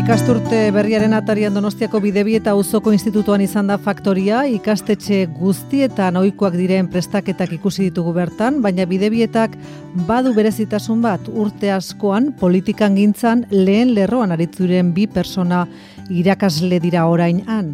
Ikasturte berriaren atarian Donostiako Bidebieta auzoko institutuan izan da faktoria, ikastetxe guztietan ohikoak diren prestaketak ikusi ditugu bertan, baina Bidebietak badu berezitasun bat, urte askoan politikan gintzan lehen lerroan aritzuren bi persona irakasle dira orain han.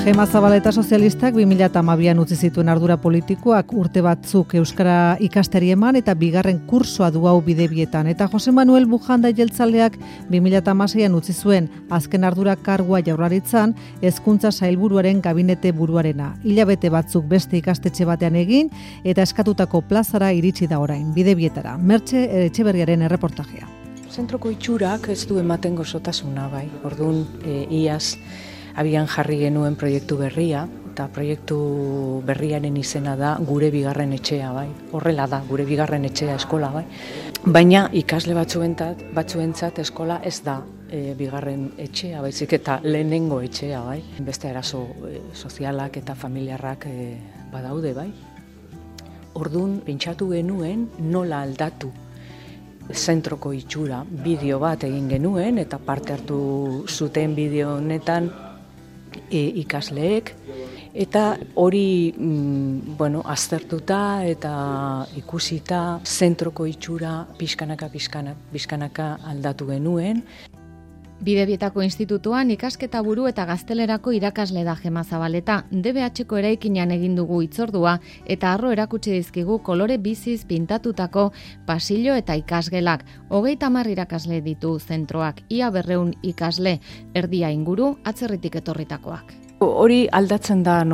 Gema Zabaleta sozialistak 2012an utzi zituen ardura politikoak, urte batzuk euskara ikasteri eman eta bigarren kursoa du hau Bidebietan. Eta Jose Manuel Bujanda jeltzaleak 2016an utzi zuen azken ardura kargua Jaurlaritzan hezkuntza sailburuaren gabinete buruarena. Hilabete batzuk beste ikastetxe batean egin eta eskatutako plazara iritsi da orain Bidebietara. Mertxe Etxeberriaren erreportajea. Zentroko itxurak ez du ematen gozotasuna, bai. Orduan, iaz abian jarri genuen proiektu berria, eta proiektu berriaren izena da gure bigarren etxea, bai. Horrela da, gure bigarren etxea eskola, bai. Baina ikasle batzuentzat eskola ez da bigarren etxea, baizik eta lehenengo etxea, bai. Beste arazo sozialak eta familiarrak badaude, bai. Orduan, pentsatu genuen nola aldatu zentroko itxura, bideo bat egin genuen, eta parte hartu zuten bideo honetan ikasleek, eta hori aztertuta eta ikusita zentroko itxura pixkanaka aldatu genuen. Bidebietako institutuan ikasketa buru eta gaztelerako irakasle da Gema Zabaleta. DBH-ko eraikinean egin dugu hitzordua eta harro erakutsi dizkigu kolore biziz pintatutako pasillo eta ikasgelak. 30 irakasle ditu zentroak, ia 200 ikasle, erdia inguru atzerritik etorritakoak. Hori aldatzen da,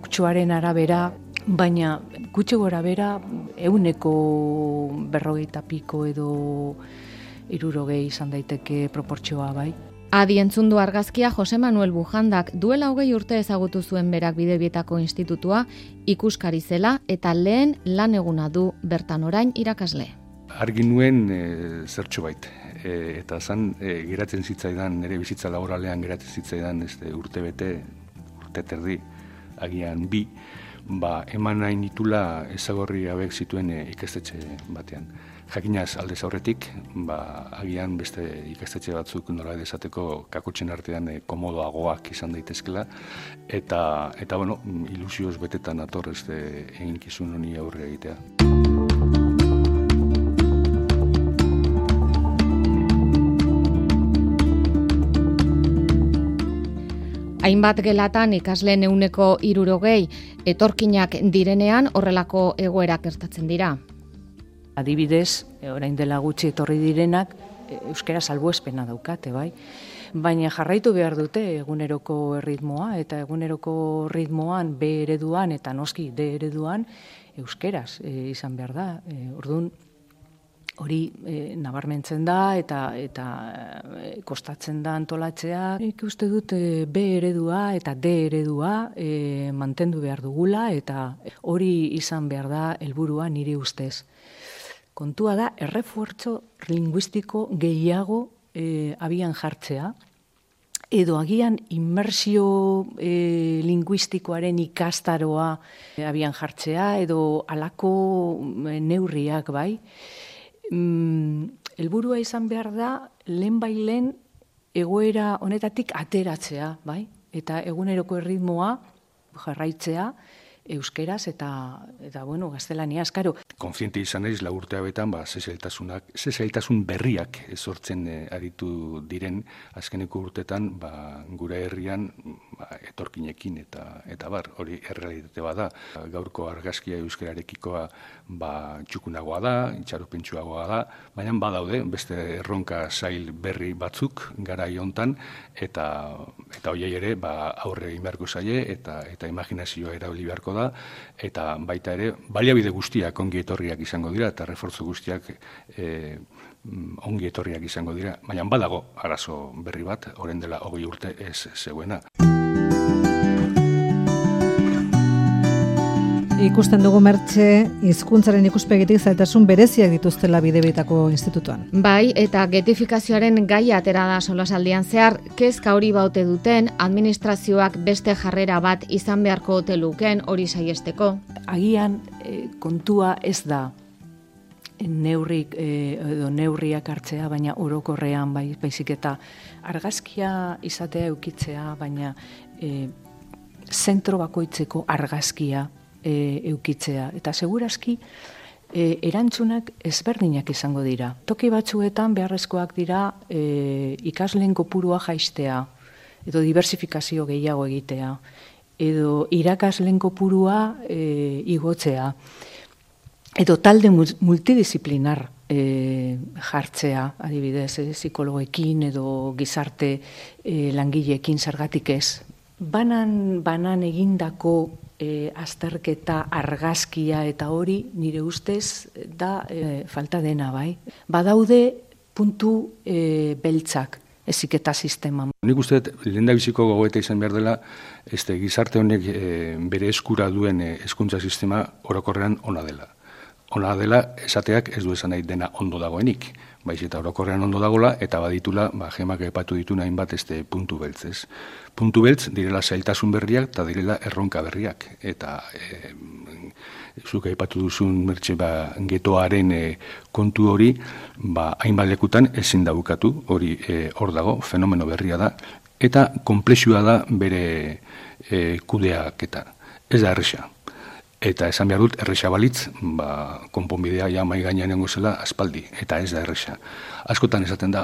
kutsuaren arabera, baina gutxi gora bera 140 piko edo 60 izan daiteke proportzioa, bai. Adi entzundu argazkia Jose Manuel Bujandak duela 20 urte ezagutu zuen berak Bidebietako institutua, ikuskari zela eta lehen lan eguna du bertan orain irakasle. Argi nuen zertxo bait, eta zan geratzen zitzaidan, nire bizitza laboralean geratzen zitzaidan urte terdi, agian bi, eman nahi nitula ezagorri hauek zituen ikastetxe batean. Jakinaz aldez aurretik, agian beste ikastetxe batzuk nola esateko kakotxen artean komodoagoak izan daitezkela, eta ilusioz betetan ator eginkizun honi aurre egitea. Hainbat gelatan ikasleen 160, etorkinak direnean horrelako egoerak gertatzen dira. Adibidez, orain dela gutxi etorri direnak, euskara salbuespena daukate, bai. Baina jarraitu behar dute eguneroko erritmoa, eta eguneroko ritmoan B ereduan eta noski D ereduan euskeraz izan behar da. Orduan, hori nabarmentzen da eta kostatzen da antolatzea. Nik uste dut B eredua eta D eredua mantendu behar dugula, eta hori izan behar da helburua nire ustez. Kontua da, errefuertzo linguistiko gehiago abian jartzea, edo agian inmersio linguistikoaren ikastaroa abian jartzea, edo halako neurriak, bai. Helburua izan behar da, lehen egoera honetatik ateratzea, bai. Eta eguneroko erritmoa jarraitzea, euskeraz eta gaztelaniaz, karo. Konfiente izan naiz, urte hauetan, ze zailtasun berriak sortzen aritu diren azkeneko urtetan, gure herrian etorkinekin eta hori errealitate bada. Gaurko argazkia euskararekikoa txukunagoa da, itxaropentsuagoa da, baina badaude beste erronka zail berri batzuk garai hontan, eta horiei ere aurre egin beharko zaie eta imaginazioa erabili beharko da, eta baita ere baliabide guztiak ongi etorriak izango dira eta refortzu guztiak ongi etorriak izango dira, baina badago arazo berri bat, orain dela 20 urte ez zegoena. Ikusten dugu Mertxe, hizkuntzaren ikuspegitik zailtasun bereziak dituztela Bidebietako institutuan. Bai, eta getifikazioaren gaia atera da solasaldian zehar, kezka hori baute duten, administrazioak beste jarrera bat izan beharko ote lukeen hori saiesteko. Agian kontua ez da neurriak hartzea, baina orokorrean baizik eta argazkia izatea eukitzea, baina zentro bakoitzeko argazkia eukitzea. Eta segurazki erantzunak ezberdinak izango dira. Toki batzuetan beharrezkoak dira ikasleen kopurua jaistea, edo diversifikazio gehiago egitea, edo irakasleen kopurua igotzea, edo talde multidisciplinar jartzea, adibidez, psikologekin edo gizarte langileekin zergatik ez. Banan egindako azterketa argazkia eta hori nire ustez da falta dena, bai. Badaude puntu beltzak heziketa sistema. Nik uste lehendabiziko gogoeta izan behar dela gizarte honek bere eskura duen hezkuntza sistema orokorrean ona dela. Ona dela esateak ez du esan nahi dena ondo dagoenik, baiz eta orokorrean ondo dagoela eta baditula Gemak aipatu dituna hainbat puntu beltzez. Puntu beltz direla zailtasun berriak eta direla erronka berriak. Eta zuk aipatu duzun getoaren kontu hori hainbat lekutan ezin da bukatu, hori hor dago, fenomeno berria da, eta konplexua da bere kudeaketa. Ez da erresa. Eta esan behar dut, erresa balitz, konponbidea ja mai gainean nengo zela aspaldi, eta ez da erresa. Askotan esaten da,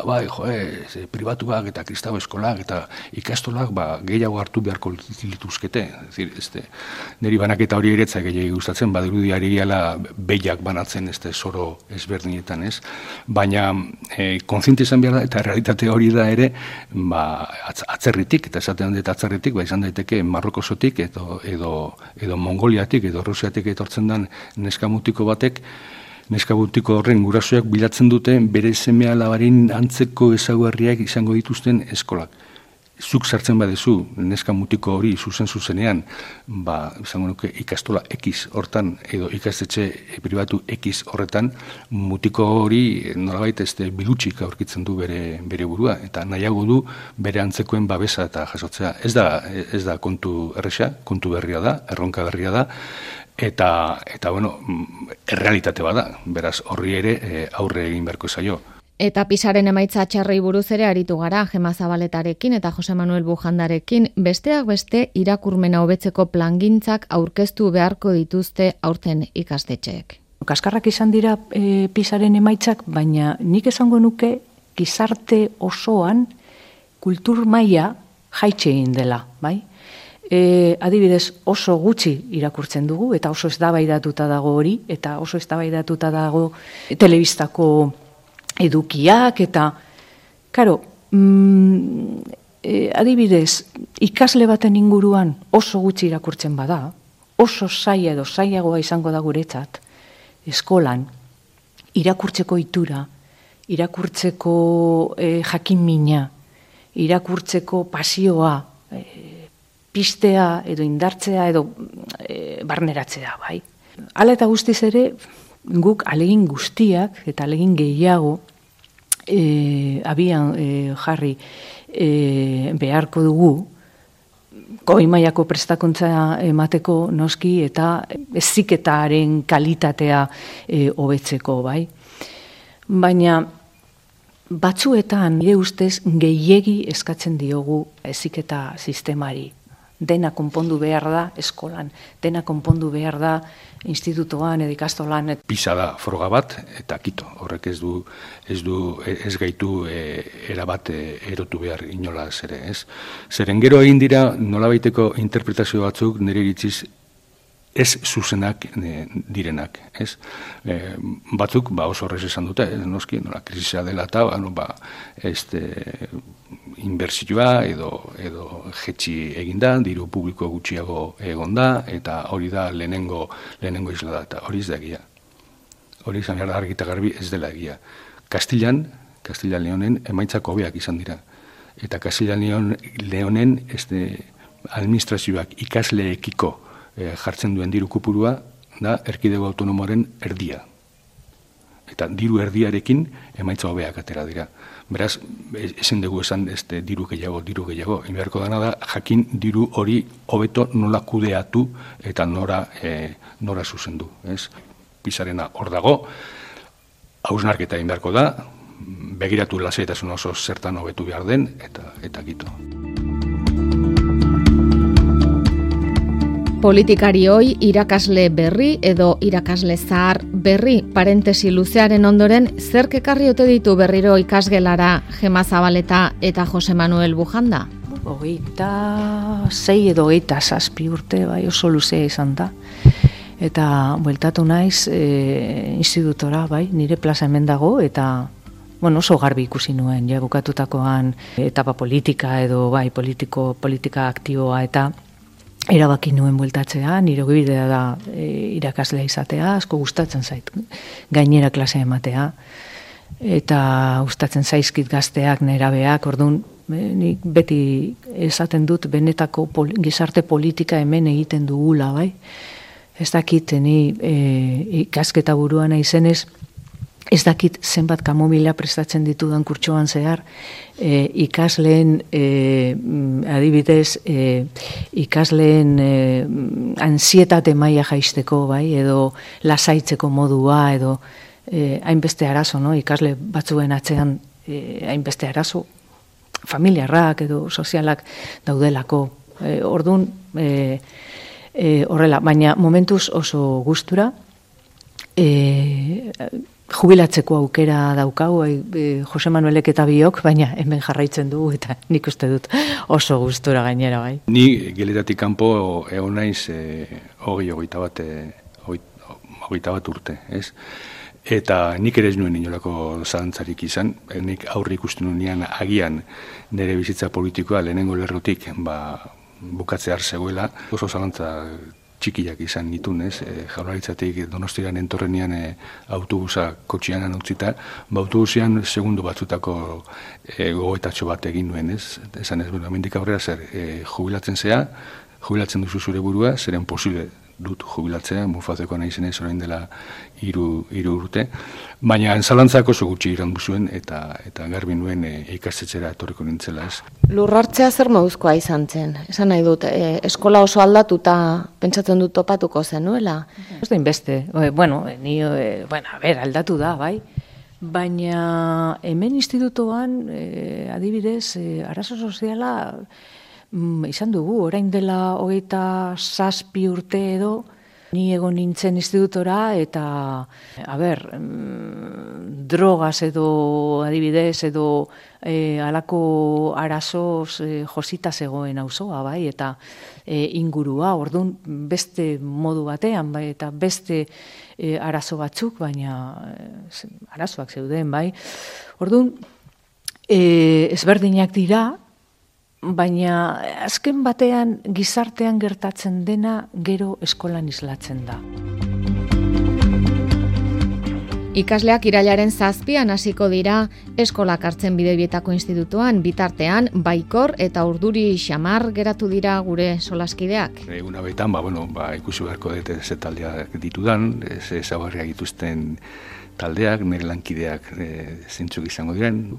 pribatuak eta kristau eskolak eta ikastolak gehiago hartu beharko lituzkete. Niri banaketa hori eretzak gehiago gustatzen, badirudi ari gala behiak banatzen zoro ezberdinetan, ez? Baina kontziente izan behar da, eta realitate hori da ere, atzerritik, eta esaten dut atzerritik, izan daiteke Marrokosotik edo Mongoliatik edo Rusiatik etortzen den neskamutiko batek, neskabutiko horren gurasoak bilatzen dute bere seme alabarin antzeko ezaugarriak izango dituzten eskolak. Zuk sartzen badezu neskamutiko hori zuzenean, izango nuke ikastola X hortan edo ikastetxe pribatu X horretan, mutiko hori nolabait bilutsik aurkitzen du bere burua, eta nahiago du bere antzekoen babesa eta jasotzea. Ez da kontu erresa, kontu berria da, erronka berria da, eta errealitate bada, beraz horri ere aurre egin beharko zaio. Eta PISAren emaitza txarrei buruz ere aritu gara Gema Zabaletarekin eta Jose Manuel Bujandarekin, besteak beste irakurmena hobetzeko plangintzak aurkeztu beharko dituzte aurten ikastetxeek. Kaskarrak izan dira PISAren emaitzak, baina nik esango nuke gizarte osoan kultur maila jaitsi egin dela, bai? Adibidez oso gutxi irakurtzen dugu eta oso eztabaidatuta dago hori eta oso eztabaidatuta dago telebistako edukiak eta karo, adibidez ikasle baten inguruan oso gutxi irakurtzen bada, oso zaila edo zailagoa izango da guretzat eskolan irakurtzeko itura, irakurtzeko jakinmina, irakurtzeko pasioa, pistea edo indartzea edo barneratzea, bai. Hala eta guztiz ere, guk alegin guztiak eta alegin gehiago abian jarri beharko dugu, goi mailako prestakuntza emateko noski eta heziketaren kalitatea hobetzeko, bai. Baina batzuetan nire ustez gehiegi eskatzen diogu heziketa sistemari. Dena konpondu behar da eskolan, dena konpondu behar da institutoan edo ikastolan. PISA da froga bat eta kito, horrek ez gaitu erabat erotu behar inolaz ere, ez? Zeren gero egin dira nolabaiteko interpretazio batzuk nire iritziz ez zuzenak direnak, ez? Batzuk oso horrez esan dute, noski, nola krisisa dela eta inbertsioa edo jetxi eginda, diru publiko gutxiago egonda, eta hori da lehenengo isla da, eta hori ez da egia. Hori izan behar da argi eta garbi ez dela egia. Kastillan Leonen emaitzak hobeak izan dira. Eta Kastillan Leonen administrazioak ikasleekiko jartzen duen diru kopurua da erkidego autonomoaren erdia. Eta diru erdiarekin emaitza hobeak atera dira. Beraz, ezin dugu esan diru gehiago. Inberko dana da, jakin diru hori hobeto nola kudeatu eta nora zuzendu. PISarena hor dago, hausnarketa egin beharko da, begiratu lasaitasun oso zertan hobetu behar den, eta gitu. Politikarioi irakasle berri edo irakasle zahar berri parentesi luzearen ondoren zerk ekarri ote ditu berriro ikasgelara Gema Zabaleta eta Jose Manuel Bujanda? 26 edo 27 urte, bai, oso luzea izan da. Eta bueltatu naiz institutora, bai, nire plaza hemen dago, eta oso garbi ikusi nuen, ja bukatutakoan etapa politika edo bai, politika aktiboa, eta erabaki nuen bueltatzea, nire bidea da irakaslea izatea, asko gustatzen zait gainera klasea ematea, eta gustatzen zaizkit gazteak, nerabeak, orduan nik beti esaten dut benetako gizarte politika hemen egiten dugula, bai? Ez dakit, ni ikasketa buruan naizenez, ez dakit zenbat kamomila prestatzen ditudan kurtsoan zehar, ikasleen, adibidez, ikasleen ansietate maila jaisteko, bai, edo lasaitzeko modua, edo hainbeste arazo, no? Ikasle batzuen atzean hainbeste arazo, familiarrak edo sozialak daudelako. Orduan, horrela, baina momentuz oso gustura, jubilatzeko aukera daukau, Jose Manuelek eta biok, baina hemen jarraitzen dugu, eta nik uste dut oso gustura gainera, bai. Ni geletatik kanpo egon naiz 21 urte, ez? Eta nik ere ez nuen inolako zalantzarik izan, nik aurre ikusten nuenean agian nire bizitza politikoa lehenengo lerrotik bukatzear zegoela, oso zalantza txikiak izan nitun, ez? Jaurlaritzatik Donostian entorrenean autobusa kotxianan utzita, autobusean segundu batzutako gogoetatxo bat egin nuen, ez? Esan ez, hemendik aurrera zer, jubilatzen duzu zure burua, zeren posible dut jubilatzea, Murfazeko naizenez orain dela 3 urte, baina zalantzak oso gutxi irandu zuen eta garbi nuen ikastetxera etorriko nintzela, ez. Lurrartzea zer moduzkoa izan zen? Esan nahi dut, eskola oso aldatuta pentsatzen dut topatuko zenuela? Ez da inbeste, aldatu da, bai. Baina hemen institutoan, adibidez, arazo soziala izan dugu, orain dela 27 urte edo, ni egon nintzen institutora eta, drogaz edo adibidez edo alako arazoz josita zegoen auzoa, bai, eta ingurua, orduan beste modu batean, bai, eta beste arazo batzuk, baina arazoak zeuden, bai. Orduan, ezberdinak dira, baina azken batean gizartean gertatzen dena gero eskolan islatzen da. Ikasleak irailaren 7an hasiko dira eskolak hartzen Bidebietako institutuan, bitartean Baikor eta Urduri xamar geratu dira gure solaskideak. Eguna baitan, ikusi beharko dut ze taldeak ditudan, ze ezaugarriak dituzten taldeak, nire lankideak zintzuk izango diren,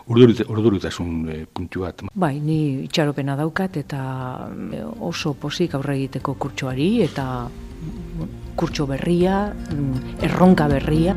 urduritasun puntu bat. Bai, ni itxaropena daukat eta oso pozik aurre egiteko kurtsoari eta kurtso berria, erronka berria.